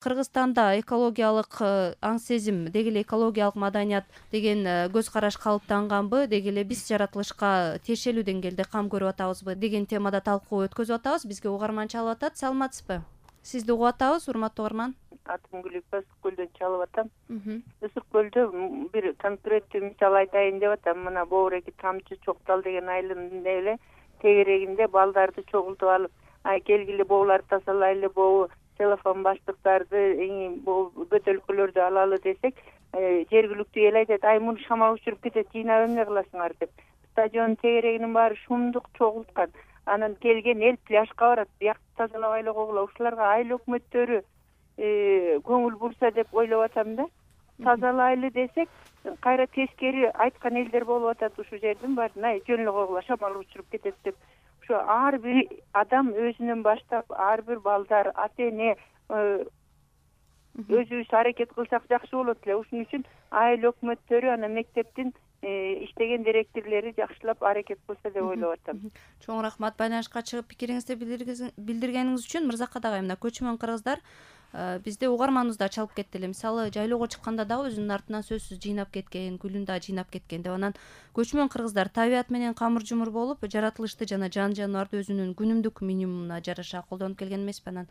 Кыргызстанда экологиялык аң сезим, деги эле экологиялык маданият деген көз караш калыптанганбы, деги эле биз жаратылышка тиешелүү деңгээлде кам көрүп атабызбы деген темада талкуу өткөзүп атабыз. Бизге угарман чалып атат. Саламатсызбы? Сизди угуп атабыз, урматтуу угарман. Атым Гүлүкбай, Ысык көлдөн чалып атам. Ысык көлдө бир конкреттүү мисал айтайын деп атам. Мына Боореки Тамчы Чоктал деген айылында эле тегерегинде балдарды чогултуп алып, келгиле бооларды тазалайлы, боо телефон баштыктарды, бөтөлкөлөрдү алалы десек, жергиликтүү эл айтат, муну шамал учуруп кетет, жыйнап эмне кыласыңар деп. Стадиондун тегерегинин баары шумдук чогулткан. Анан келген эл пляжга барат, биякты тазалабай койгула. Ушуларга айыл өкмөттөрү көңүл бурса деп ойлоп атам да. Тазалайлы десек, кайра тескери айткан элдер болуп атат. Ушул жердин баарын жөн эле койгула, шамал учуруп кетет деп. Ошо ар бир адам өзүнөн баштап, ар бир балдар, ата-эне өзүбүз аракет кылсак жакшы болот эле. Ушун үчүн айыл өкмөттөрү, анан мектептин иштеген директорлору жакшылап аракет кылса деп ойлоп атам. Чоң рахмат байланышка чыгып пикириңизди билдиргениңиз үчүн. Мырзакат агай, мына көчмөн кыргыздар бизде угарманыбыз да чалып кетти эле. Мисалы, жайлоого чыкканда дагы өзүнүн артынан сөзсүз жыйнап кеткен, гүлүн да жыйнап кеткен деп. Анан көчмөн кыргыздар табият менен камыр жумур болуп, жаратылышты жана жан жаныбарды өзүнүн күнүмдүк минимумуна жараша колдонуп келген эмеспи. Анан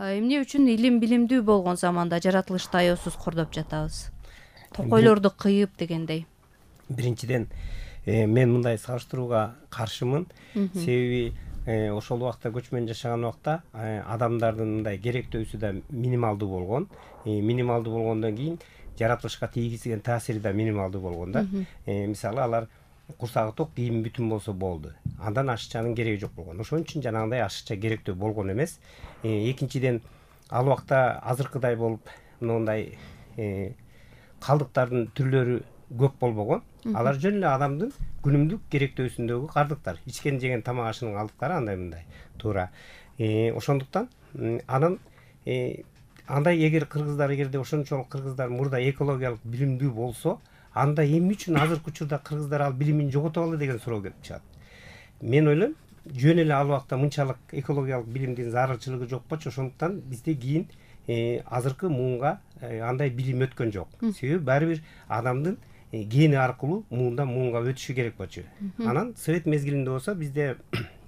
эмне үчүн илим билимдүү болгон заманда жаратылышты аеосуз кордоп жатабыз? Токойлорду кыйып дегендей. Биринчиден, мен мындай салыштырууга каршымын. Себеби ошол убакта көчмөн жашаган убакта адамдардын мындай керектөөсү да минималдуу болгон. Минималдуу болгондон кийин жаратылышка тийгизген таасири да минималдуу болгон да. Мисалы, алар курсагы ток, кийими бүтүн болсо болду. Андан ашыкчанын кереги жок болгон. Ошон үчүн жанагындай ашыкча керектөө болгон эмес. Экинчиден, ал убакта азыркыдай болуп мындай калдыктардын түрлөрү көп болбогон. Алар жөн эле адамдын күнүмдүк керектөөсүндөгү калдыктар. Ичкен жеген тамак ашынын калдыктары андай мындай туура. Ошондуктан анан андай эгер эгерде ошончолук кыргыздар мурда экологиялык билимдүү болсо, анда эмне үчүн азыркы учурда кыргыздар ал билимин жоготуп алды деген суроо келип чыгат. Мен ойлойм, жөн эле ал убакта мынчалык экологиялык билимдин зарылчылыгы жок болчу, ошондуктан бизде кийин азыркы муунга андай билим өткөн жок. Себеби баары бир адамдын гени аркылуу муунга өтүшү керек болчу. Анан совет мезгилинде болсо бизде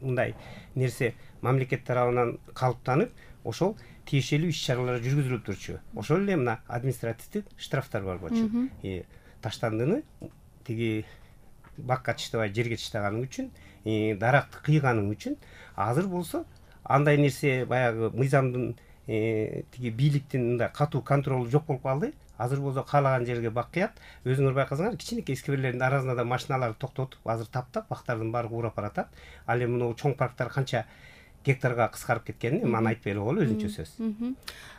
мындай нерсе мамлекет тарабынан калыптанып, ошол тиешелүү иш-чаралар жүргүзүлүп турчу. Ошол эле мына административдик штрафтар бар болчу. Таштандыны тиги бакка чыштабай жерге чыштаганың үчүн, даракты кыйганың үчүн. Азыр болсо андай нерсе баягы мыйзамдын тиги бийликтин мындай катуу контролу жок болуп калды. Азыр болсо каалаган жерге бак кыят. Өзүңөр байкасаңар, кичинекей скверлердин арасына да машиналарды токтотуп, азыр таптап, бактардын баары урап баратат. Ал эми мына чоң парктар канча гектарга кыскарып кеткенин аны айтпай эле коелу, өзүнчө сөз.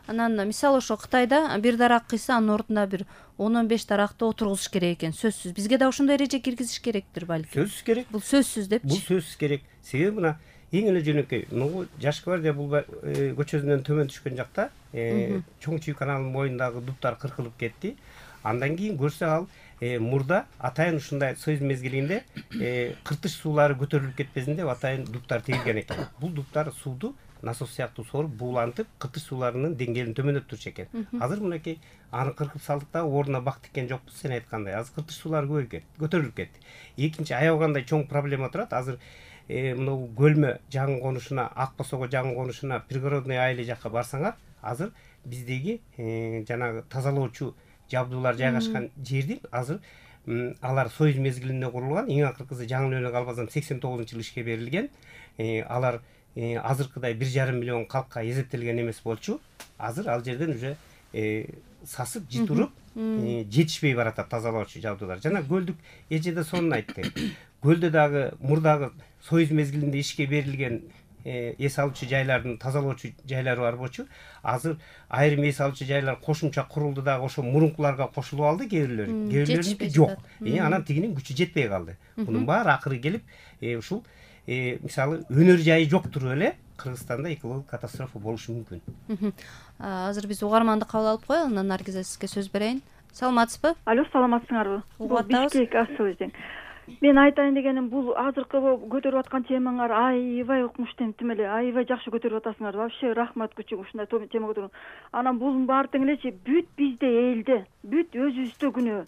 Анан мисалы ошо Кытайда бир дарак кыйса, анын ордуна бир 10-15 даракты отургузуш керек экен. Сөзсүз. Бизге да ошондой эреже киргизиш керектир балки. Сөзсүз керек. Бул сөзсүз депчи. Бул сөзсүз керек. Себеби мына эң эле жөнөкөй, могу Жаш гвардия бул көчөсүнөн төмөн түшкөн жакта Чоң Чүй каналынын боюндагы дуптар кыркылып кетти. Андан кийин көрсө ал мурда атайын ушундай союз мезгилинде кыртыш суулары көтөрүлүп кетпесин деп атайын дуптар тигилген экен. Бул дуптар сууду насос сыяктуу соруп буулантып, кыртыш сууларынын деңгээлин төмөндөтүп турчу экен. Азыр мынакей аны кыркып салдык да ордуна бак тиккен жокпуз, сен айткандай. Азыр кыртыш суулары көтөрүлүп кетти. Экинчи аябагандай чоң проблема турат. Азыр мына Көлмө жаңы конушуна, Ак Босого жаңы конушуна, пригородный айыл жакка барсаңар, азыр биздеги жанагы тазалоочу жабдуулар жайгашкан жердин азыр алар союз мезгилинде курулган, эң акыркысы жаңы эле калбасам 89-жылы ишке берилген. Алар азыркыдай 1,5 миллион калкка эсептелген эмес болчу. Азыр ал жерден уже сасып, житуруп, жетишпей баратат тазалоочу жабдуулар. Жана көлдүк эже да сонун айтты. Көлдө дагы мурдагы союз мезгилинде ишке берилген эс алуучу жайлардын тазалоочу жайлары бар болчу. Азыр айрым эс алуучу жайлар кошумча курулду дагы, ошо мурункуларга кошулуп алды кээ бирлери. Кээ бирлериники жок. Анан тигинин күчү жетпей калды. Мунун баары акыры келип, ушул мисалы өнөр жайы жок туруп эле Кыргызстанда экологик катастрофа болушу мүмкүн. Азыр биз угарманды кабыл алып коелу, анан Наргиза сизге сөз берейин. Саламатсызбы? Алло, саламатсыңарбы? Угуп атабыз. Бишкек асыл эжең. Мен айтайын дегеним, бул азыркы көтөрүп аткан темаңар аябай укмуштуу, тим эле аябай жакшы көтөрүп атасыңар. Вообще рахмат күчүгүм ушундай тема көтөрүп. Анан бунун баары тең элечи бүт бизде элде, бүт өзүбүздө күнөө.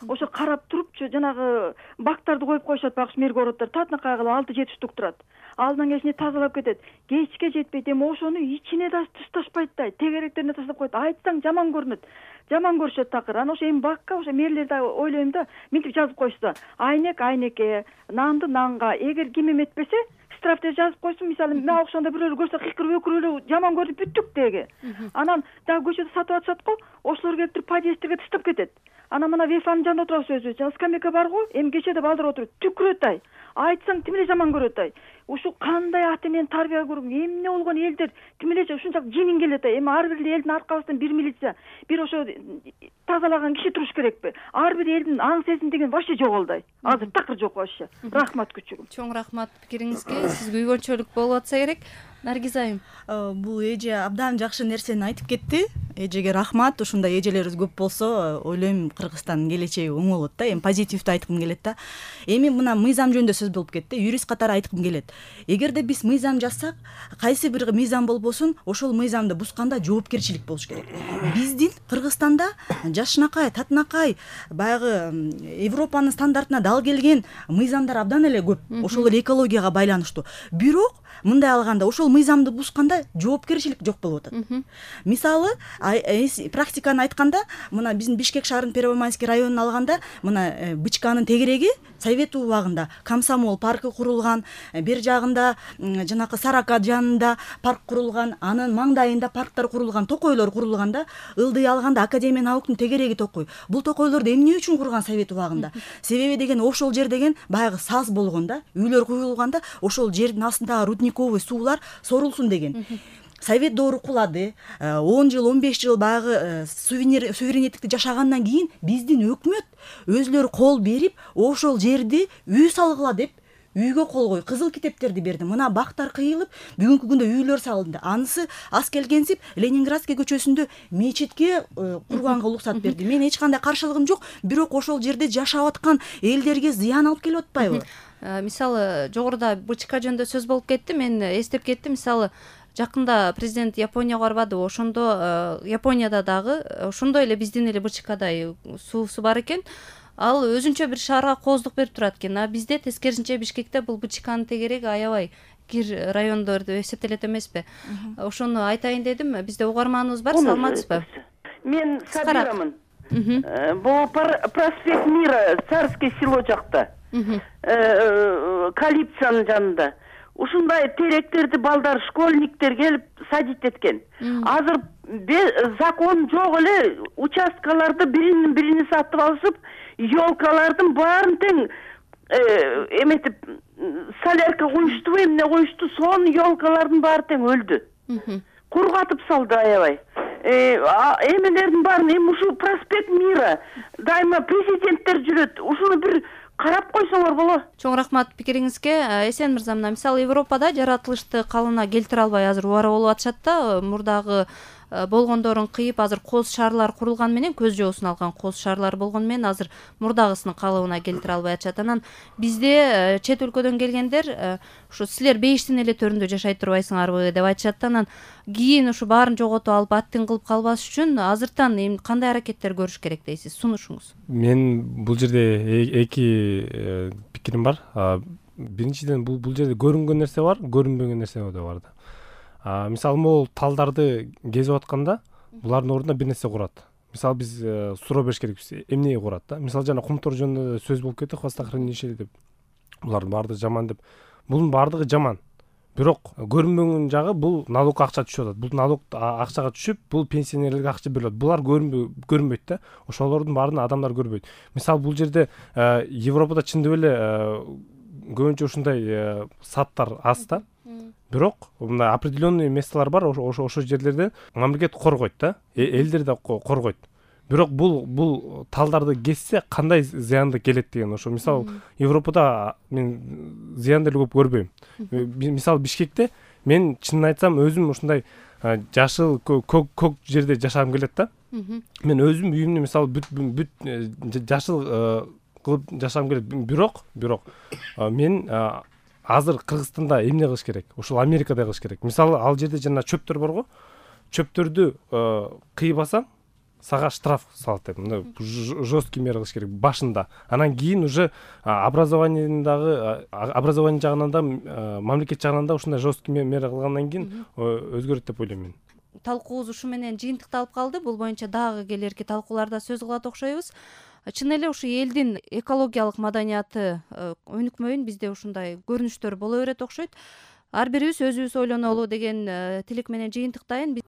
Ошо карап турупчу жанагы бактарды коюп коюшат, багыш мергороттор татынакай кылып 6-7 штук турат. Алдынан кечине тазалап кетет. Кечке жетпейт, эми ошону ичине да ташташпайт да, тегеректерине таштап коет. Айтсаң жаман көрүнөт. Жаман көрүшөт такыр. Анан ошо эми бакка ошо мэрлерди ойлойм да, минтип жазып койсо, айнек айнекке, нанды нанга, эгер ким эметпесе, штрафты жазып койсун. Мисалы, мага окшогондой бирөөлөр көрсө кыйкырып өкүрүп жаман көрүп бүттүк деги. Анан дагы көчөдө сатып атышат го, ошолор келип туруп подъездге таштап кетет. Анан мына вефанын жанында отурабыз өзүбүз. Жана скамейка бар го, эми кечеде балдар отуруп түкүрөт ай. Айтсаң тим эле жаман көрөт ай. Ушу кандай ата энени тарбия көрүп, эмне болгон элдер тим эле ушунчалык жеңин келет ай. Эми ар бир элдин аркабыздан бир милиция, бир ошо тазалаган киши туруш керекпи? Ар бир элдин аң сезим деген вообще жоголду ай. Азыр такыр жок вообще. Рахмат күчүгүм. Чоң рахмат пикириңизге. Сиз күйгөнчөлүк болуп атса керек. Наргиз айым. Бул эже абдан жакшы нерсени айтып кетти. Эжеге рахмат. Ушундай эжелерибиз көп болсо, ойлойм Кыргызстандын келечеги оң болот да. Эми позитивдүү айткым келет да. Эми мына мыйзам жөнүндө сөз болуп кетти. Юрист катары айткым келет. Эгерде биз мыйзам жазсак, кайсы бир мыйзам болбосун, ошол мыйзамды бусканда жоопкерчилик болуш керек. Биздин Кыргызстанда жашынакай, татынакай, баягы Европанын стандартына дал келген мыйзамдар абдан эле көп. Ошол эле экологияга байланыштуу. Бирок мындай алганда ошол мыйзамды бусканда жоопкерчилик жок болуп атат. Мисалы, практиканы айтканда, мына биздин Бишкек шаарынын Первомайский районун алганда, мына Бычканын тегереги Совет убагында Комсомол паркы курулган, бер жагында жанакы Сарака жанында парк курулган, анын маңдайында парктар курулган, токойлор курулганда, ылдый алганда Академия науктун тегереги токой. Бул токойлорду эмне үчүн курган Совет убагында? Себеби деген ошол жер деген баягы саз болгондо, үйлөр куюлганда, ошол жердин астындагы рудниковый суулар сорулсун деген. Совет доору кулады. 10 жыл, 15 жыл баягы суверенеттикти жашагандан кийин биздин өкмөт өзүлөрү кол берип, ошол жерди үй салгыла деп үйгө кол коюп, кызыл китептерди берди. Мына бактар кыйылып, бүгүнкү күндө үйлөр салынды. Анысы аз келгенсип Ленинградский көчөсүндө мечитке курганга уруксат берди. Мен эч кандай каршылыгым жок, бирок ошол жерде жашап аткан элдерге зыян алып келип атпайбы? Мисалы, жогоруда Бычка жөнүндө сөз болуп кетти. Мен эстеп кеттим. Мисалы, жакында президент Японияга барбады. Ошондо Японияда дагы ошондой эле биздин эле Бычкадай суусу бар экен. Ал өзүнчө бир шаарга кооздук берип турат экен. А бизде тескерисинче Бишкекте бул Бычканын тегереги аябай кир райондорду эсептелет эмеспи? Ошону айтайын дедим. Бизде угарманыбыз бар, саламатсызбы? Мен Сабирамын. Бул проспект Мира, Царское село жакта. Калипцанын жанында. Ушундай теректерди балдар, школьниктер келип садить эткен. Азыр закон жок эле, участкаларды бирини сатып алышып, ёлкалардын баарын тең эметип солярка коюшту, эмне коюшту, сонун ёлкалардын баары тең өлдү. Кургатып салды аябай. Эмелердин баарын, эми ушу проспект Мира, дайыма президенттер жүрөт. Ушуну бир карап койсоңор болот. Чоң рахмат пикириңизге. Эсен мырза, мына мисалы Европада жаратылышты калыбына келтире албай азыр убара болуп атышат да, мурдагы болгондорун кыйып, азыр кооз шаарлар курулган менен, көз жоосун алган кооз шаарлар болгон менен азыр мурдагысынын калыбына келтире албай атышат. Анан бизде чет өлкөдөн келгендер ушу силер бейиштин эле төрүндө жашай турбайсыңарбы деп айтышат да. Анан кийин ушу баарын жоготуп алып аттин кылып калбаш үчүн азыртан кандай аракеттер көрүш керек дейсиз? Сунушуңуз. Мен бул жерде эки пикирим бар. Биринчиден бул жерде көрүнгөн нерсе бар, көрүнбөгөн нерсе да бар да. Мисалы, могул талдарды кезип атканда булардын ордуна бир нерсе курат. Мисалы, биз суроо бериш керекпиз, эмнеге курат да? Мисалы, жана кумтор жөнүндө сөз болуп кетти, хвостохранилище деп. Булардын баардыгы жаман деп. Бунун баардыгы жаман. Бирок көрүнбөгөн жагы бул налог акча түшүп атат. Бул налог акчага түшүп, бул пенсионерлерге акча берилет. Булар көрүнбөйт да. Ошолордун баарын адамдар көрбөйт. Мисалы, бул жерде Европада чындап эле көбүнчө ушундай саттар аз да. Бирок мындай определенный месталар бар, ошо жерлерде мамлекет коргойт да, элдер да коргойт. Бирок бул талдарды кессе кандай зыянды келет деген. Ошо мисалы Европада мен зыянды эле көп көрбөйм. Мисалы Бишкекте мен чынын айтсам өзүм ушундай жашыл көк жерде жашагым келет да. Мен өзүм үйүмдү мисалы бүт жашыл кылып жашагым келет. Бирок мен азыр Кыргызстанда эмне кылыш керек? Ушул Америкада кылыш керек. Мисалы, ал жерде жана чөптөр барго. Чөптөрдү кыйбасаң, сага штраф салат деп. Мына жесткий мера кылыш керек башында. Анан кийин уже образование жагынан да, мамлекет жагынан да ушундай жесткий мера кылгандан кийин өзгөрөт деп ойлойм мен. Талкуубуз ушу менен жыйынтыкталып калды. Бул боюнча дагы келерки талкууларда сөз кылат окшойбуз. Чын эле ушу элдин экологиялык маданияты өнүкмөйүн бизде ушундай көрүнүштөр боло берет окшойт. Ар бирибиз өзүбүз ойлонолу деген тилек менен жыйынтыктайын.